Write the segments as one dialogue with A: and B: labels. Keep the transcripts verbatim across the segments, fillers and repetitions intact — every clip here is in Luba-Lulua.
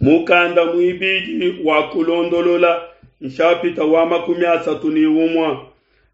A: Mukanda muibidi wa Kulondolola, nshapita wa makumi asatu ne umue.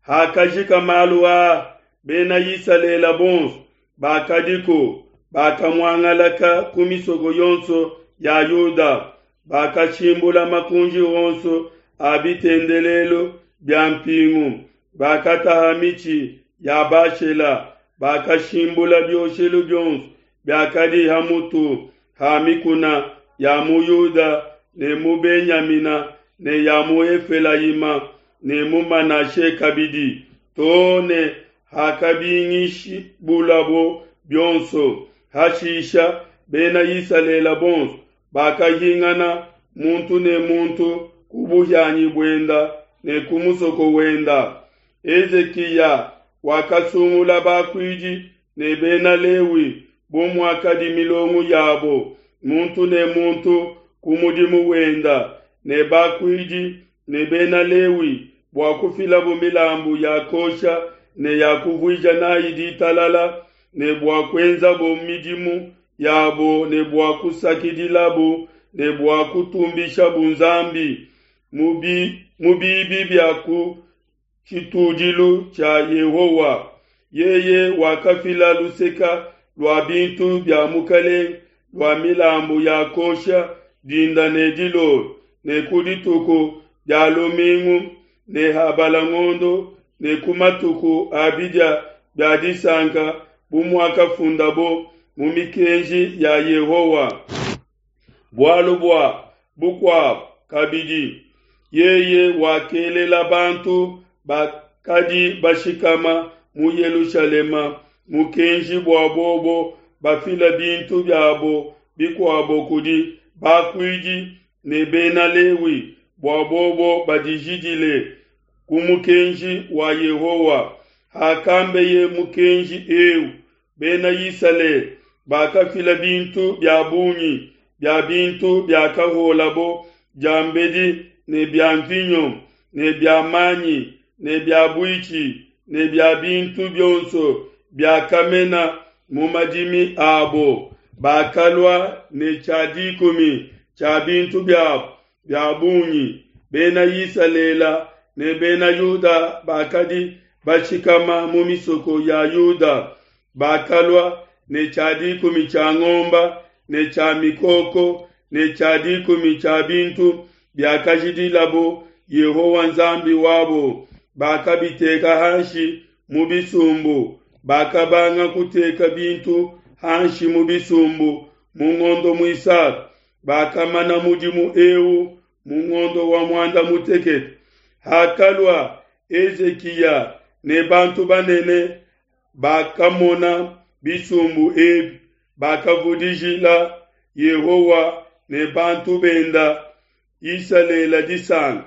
A: Hakajika malu aa, Bena Isalele bonso bakadiku bakamuangalaka ku misoko yonso ya Yuda, bakashimbula makunji onso a bitendelelu bia mpingu, bakataha mitshi ya Bashela, bakashimbula bioshelu bionso biakadi ha mutu ha mikuna ya mu Yuda ne mu Benyamina ne ya mu Efelayima ne mu Manashe kabidi, to ne hakabingishibulabo bionso. Hashisha Bena Isalele bonso bakahingana muntu ne muntu ku buhianyi buenda ne ku musoko wenda. Hezikiya wakasungula bakuidi ne Bena Lewi bu muakadi milongo yabo, muntu ne muntu ku mudimu wenda, ne bakuidi ne Bena Lewi bua kufilabo milambu ya kuosha ne ya kuvuija n'ai ditalala, ne bua kuenzabo midimu yabo ne bua kusakidilabo ne bua kutumbishabo Nzambi mu bibi bia ku tshitudilu tshia Yehowa. Yeye wakafila luseka lua bintu bia mukelenge lua milambu ya kuosha dinda ne dilolo, ne ku dituku dia lumingu ne habala ngondo ne ku matuku a bidia bia disanka, bu muakafundabo mu mikenji ya Yehowa. Bualu bua bukuabo kabidi, yeye wakelela bantu bakadi bashikama mu Yelushalema mukenji bua bobo bafila bintu biabo bikuabo kudi bakuidi ne Bena Lewi, bua bobo badijidile ku mukenji wa Yehowa. Hakambeye mukenji eu, Bena Isalele bakafila bintu bia bungi bia bintu biakahuolabo diambedi, ne bia nvinyo ne bia manyi ne bia buitshi ne bia bintu bionso biakamena mu madimi abo. Bakalua ne tshia dikumi tshia bintu biabo bia bungi. Bena Isalele ne Bena Yuda bakadi bashikama mu misoko ya Yuda bakalua ne tshia dikumi tshia ngomba ne tshia mikoko ne tshia dikumi tshia bintu biakajidilabo Yehowa Nzambi wabo, bakabiteka hanshi mu bisumbu. Bakabanga kuteka bintu hanshi mu bisumbu mu ngondo muisatu, bakamana mudimu eu mu ngondo wa muanda mutekete. Hakalua Hezikiya ne bantu banene bakamona bisumbu ebi, bakavudijila Yehowa ne bantu benda Isalele disanka.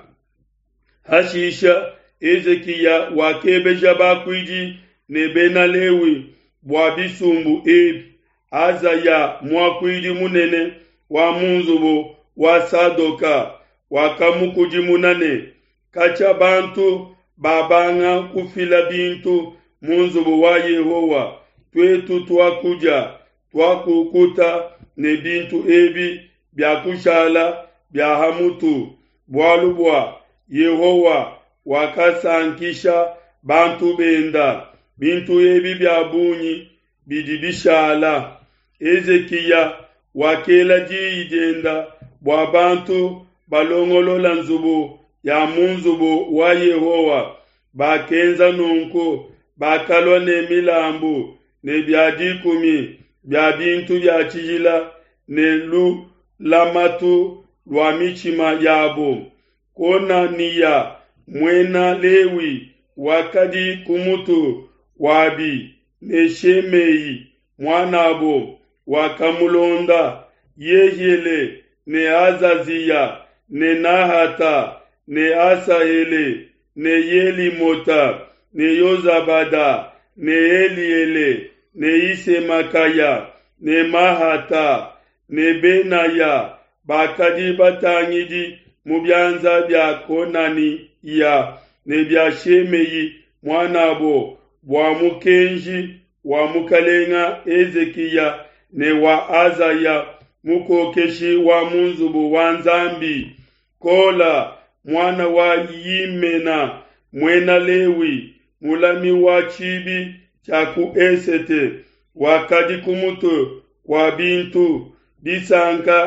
A: Hashisha Hezikiya wakebeja bakuidi ne Bena Lewi bua bisumbu ebi. Azaya muakuidi munene wa mu nzubu wa Sadoka wakamukudimuna ne, katshia bantu babanga kufila bintu mu nzubu wa Yehowa, tuetu tuakudia tuakukuta ne bintu ebi biakushala bia ha mutu, bualu bua Yehowa wakasankisha bantu benda. Bintu ebi bia bungi bidi bishala. Hezikiya wakela diyi dienda bua bantu balongolola nzubu ya mu nzubu wa Yehowa. Bakenza nunku, bakalua ne milambu ne bia dikumi bia bintu bia tshijila ne lulamatu lua mitshima yabo. Konaniya muena Lewi wakadi ku mutu wabi, ne Shemei muanabo wakamulonda, Yehiele ne Azaziya ne Nahata ne Asahele ne Yelimota ne Yozabada ne Eliele ne Isemakaya ne Mahata ne Benaya bakadi batangidi mu bianza bia Konaniya ne bia Shemei muanabo, bua mukenji wa mukalenga Hezikiya ne wa Azaya mukokeshi wa mu nzubu wa Nzambi. Kola, muana wa Yimena, muena Lewi, mulami wa tshibi tshia ku esete, wakadi ku mutu kua bintu. Disanka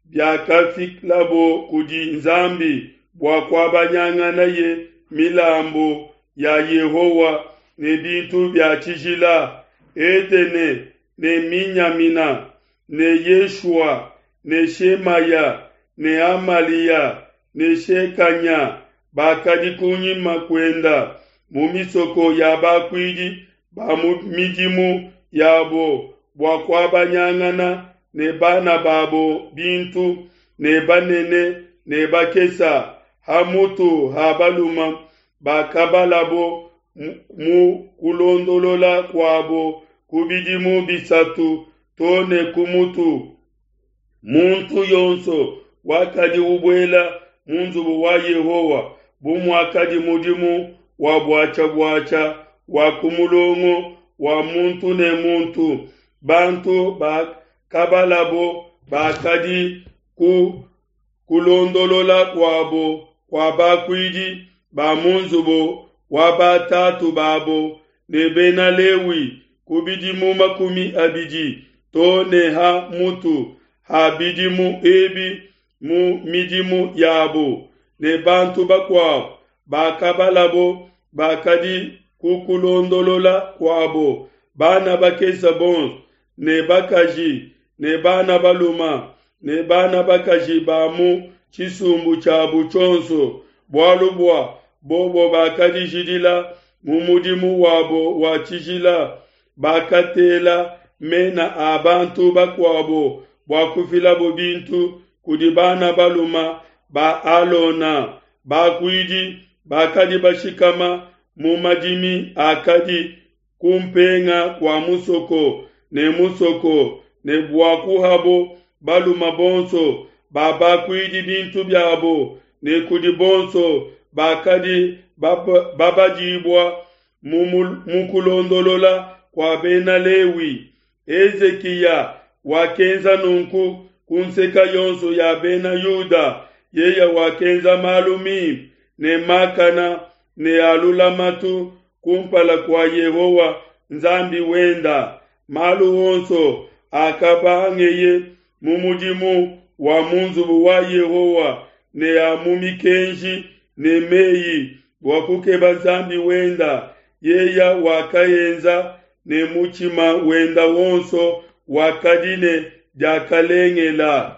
A: biakafilabo kudi Nzambi bua kuabanyanganaye milambu ya Yehowa ne bintu bia tshijila. Edene ne Minyamina ne Yeshua ne Shemaya ne Amalia ne Shekanya bakadi kunyima kuenda mu misoko ya bakuidi ba mu midimu yabo bua kuabanyangana ne bana babo bintu, ne banene ne bakesa, ha mutu ha baluma bakabalabo mu kulondolola kuabo ku bidimu bisatu to ne ku mutu. Muntu yonso wakadi ubuela mu nzubu wa Yehowa bu muakadi mudimu wa buatshia-buatshia wa ku mulongo wa muntu ne muntu. Bantu bakabalabo bakadi ku kulondolola kuabo kua bakuidi ba mu nzubu wa batatu babo ne bena Lewi ku bidimu makumi abidi to ne ha mutu ha bidimu ebi mu midimu yabo, ne bantu bakuabo bakabalabo bakadi ku kulondolola kuabo, bana bakese bonso ne bakaji ne bana baluma ne bana bakaji ba mu tshisumbu tshiabu tshionso, bualu bua bobo bakadijidila mu mudimu wabo wa tshijila. Bakatela mena a bantu bakuabo bua kufilabo bintu kudi bana baluma ba Alona bakuidi bakadi bashikama mu madimi akadi kumpenga kua musoko ne musoko, ne bua kuhabo baluma bonso ba bakuidi bintu biabo, ne kudi bonso bakadi babadibua mu kulondolola kua bena Lewi. Hezikiya wakenza nunku ku nseke yonso ya bena Yuda. Yeye wakenza malu mimpe ne makana ne a lulamatu kumpala kua Yehowa Nzambi wenda. Malu onso akabangeye mu mudimu wa mu nzubu wa Yehowa ne a mu mikenji ne meyi bua kukeba Nzambi wenda, yeye wakaenza ne mutshima wenda wonso wakadi ne diakalengela.